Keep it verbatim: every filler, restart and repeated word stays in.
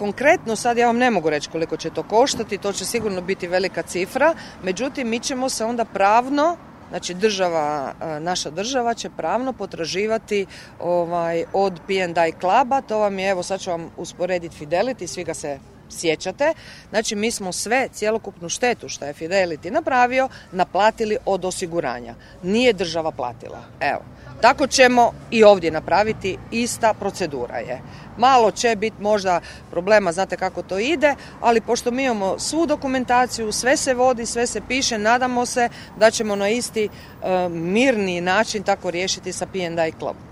Konkretno sad ja vam ne mogu reći koliko će to koštati, to će sigurno biti velika cifra, međutim mi ćemo se onda pravno, znači država, naša država će pravno potraživati ovaj, od P and I kluba, to vam je, evo sad ću vam usporediti Fidelity, svi ga se sjećate, znači mi smo sve, cjelokupnu štetu što je Fidelity napravio, naplatili od osiguranja, nije država platila, evo. Tako ćemo i ovdje napraviti, ista procedura je. Malo će biti možda problema, znate kako to ide, ali pošto mi imamo svu dokumentaciju, sve se vodi, sve se piše, nadamo se da ćemo na isti uh, mirni način tako riješiti sa P and I klubom.